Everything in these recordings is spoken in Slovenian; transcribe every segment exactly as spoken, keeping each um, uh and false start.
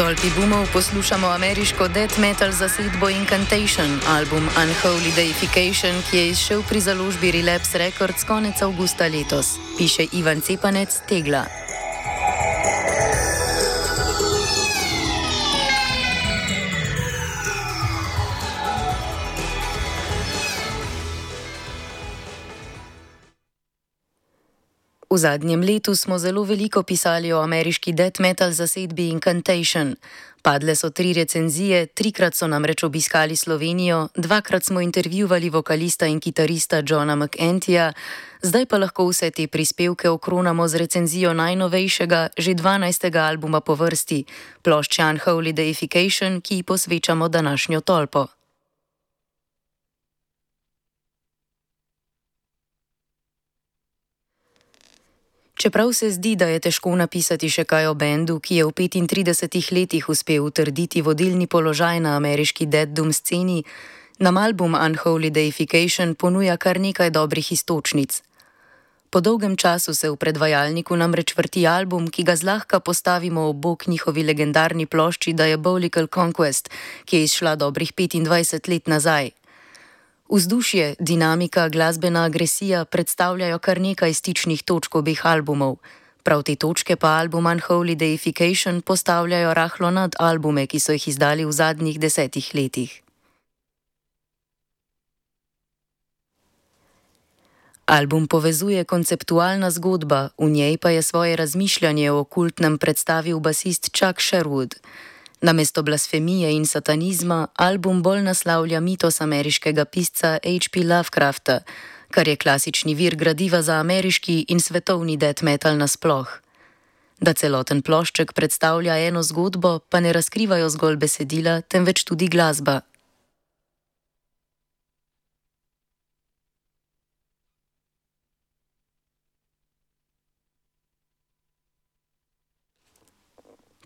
stolpi boomov poslušamo ameriško death metal zasedbo Incantation, album Unholy Deification, ki je izšel pri založbi Relapse Records konec avgusta letos, piše Ivan Cepanec, Tegla. V zadnjem letu smo zelo veliko pisali o ameriški death metal zasedbi Incantation. Padle so tri recenzije, trikrat so namreč obiskali Slovenijo, dvakrat smo intervjuvali vokalista in kitarista Johna McEntyja, zdaj pa lahko vse te prispevke okronamo z recenzijo najnovejšega, že dvanajstega albuma po vrsti, plošče Unholy Deification, ki ji posvečamo današnjo tolpo. Čeprav se zdi, da je težko napisati še kaj o bendu, ki je v petintridesetih letih uspel utrditi vodilni položaj na ameriški death doom sceni, nam album Unholy Deification ponuja kar nekaj dobrih iztočnic. Po dolgem času se v predvajalniku namreč vrti album, ki ga zlahka postavimo ob bok njihovi legendarni plošči Diabolical Conquest, ki je izšla dobrih petindvajset let nazaj. Vzdušje, dinamika, glasbena agresija predstavljajo kar nekaj stičnih točk obeh albumov. Prav te točke pa album Unholy Deification postavljajo rahlo nad albume, ki so jih izdali v zadnjih desetih letih. Album povezuje konceptualna zgodba, v njej pa je svoje razmišljanje o okultnem predstavil basist Chuck Sherwood. Namesto blasfemije in satanizma, album bolj naslavlja mitos ameriškega pisca H P Lovecrafta, kar je klasični vir gradiva za ameriški in svetovni death metal nasploh. Da celoten plošček predstavlja eno zgodbo, pa ne razkrivajo zgolj besedila, temveč tudi glasba.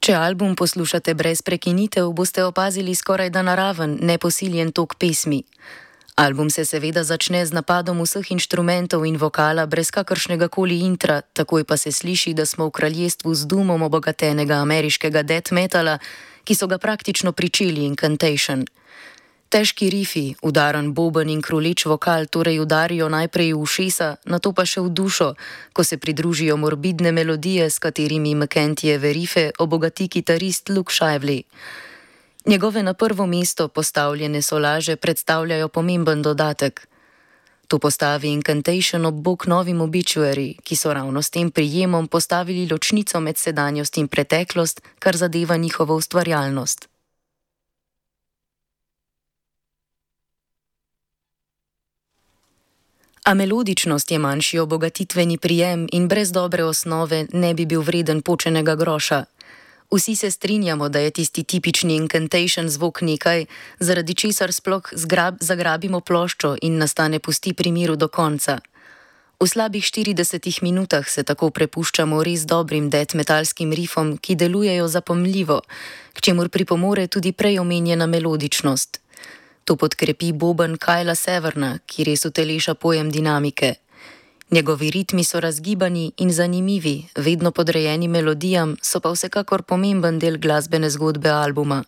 Če album poslušate brez prekinitev, boste opazili skorajda naraven, neposiljen tok pesmi. Album se seveda začne z napadom vseh inštrumentov in vokala brez kakršnega koli intra, takoj pa se sliši, da smo v kraljestvu z doomom obogatenega ameriškega death metala, ki so ga praktično pričeli Incantation. Težki rifi, udaran boben in kruleč vokal torej udarijo najprej v ušesa, nato pa še v dušo, ko se pridružijo morbidne melodije, s katerimi McEntyjeve rife obogati kitarist Luke Shively. Njegove na prvo mesto postavljene solaže predstavljajo pomemben dodatek. To postavi Incantation ob bok novim Obituary, ki so ravno s tem prijemom postavili ločnico med sedanjost in preteklost, kar zadeva njihovo ustvarjalnost. A melodičnost je manjši obogatitveni prijem in brez dobre osnove ne bi bil vreden počenega groša. Vsi se strinjamo, da je tisti tipični Incantation zvok nekaj, zaradi česar sploh zgrab, zagrabimo ploščo in nas ta ne pusti pri miru do konca. V slabih štiridesetih minutah se tako prepuščamo res dobrim death metalskim rifom, ki delujejo zapomljivo, k čemur pripomore tudi prej omenjena melodičnost. To podkrepi boben Kylea Severna, ki res uteleša pojem dinamike. Njegovi ritmi so razgibani in zanimivi, vedno podrejeni melodijam, so pa vsekakor pomemben del glasbene zgodbe albuma.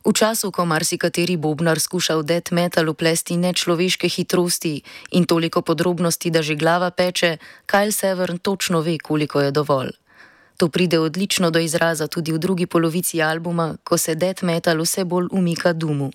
V času, ko marsikateri bobnar skuša v death metal vplesti nečloveške hitrosti in toliko podrobnosti, da že glava peče, Kyle Severn točno ve, koliko je dovolj. To pride odlično do izraza tudi v drugi polovici albuma, ko se death metal vse bolj umika doomu.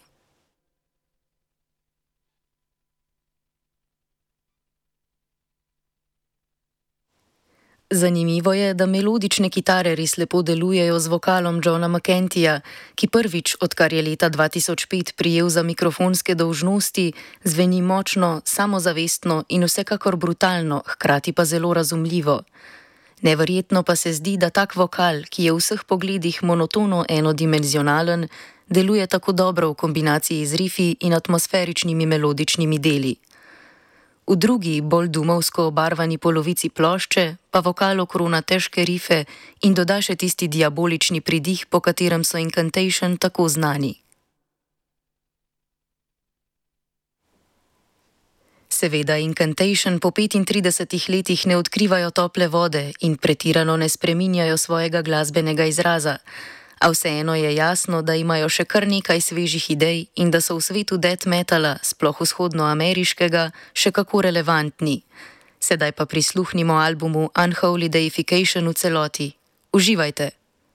Zanimivo je, da melodične kitare res lepo delujejo z vokalom Johna McEntyja, ki prvič, odkar je leta dva tisoč pet prijel za mikrofonske dolžnosti, zveni močno, samozavestno in vsekakor brutalno, hkrati pa zelo razumljivo. Neverjetno pa se zdi, da tak vokal, ki je v vseh pogledih monotono enodimenzionalen, deluje tako dobro v kombinaciji z rifi in atmosferičnimi melodičnimi deli. V drugi, bolj doomovsko obarvani polovici plošče pa vokal okrona težke rife in doda še tisti diabolični pridih, po katerem so Incantation tako znani. Seveda Incantation po petintridesetih letih ne odkrivajo tople vode in pretirano ne spreminjajo svojega glasbenega izraza, A vseeno je jasno, da imajo še kar nekaj svežih idej in da so v svetu death metala, sploh vzhodnoameriškega, še kako relevantni. Sedaj pa prisluhnimo albumu Unholy Deification v celoti. Uživajte!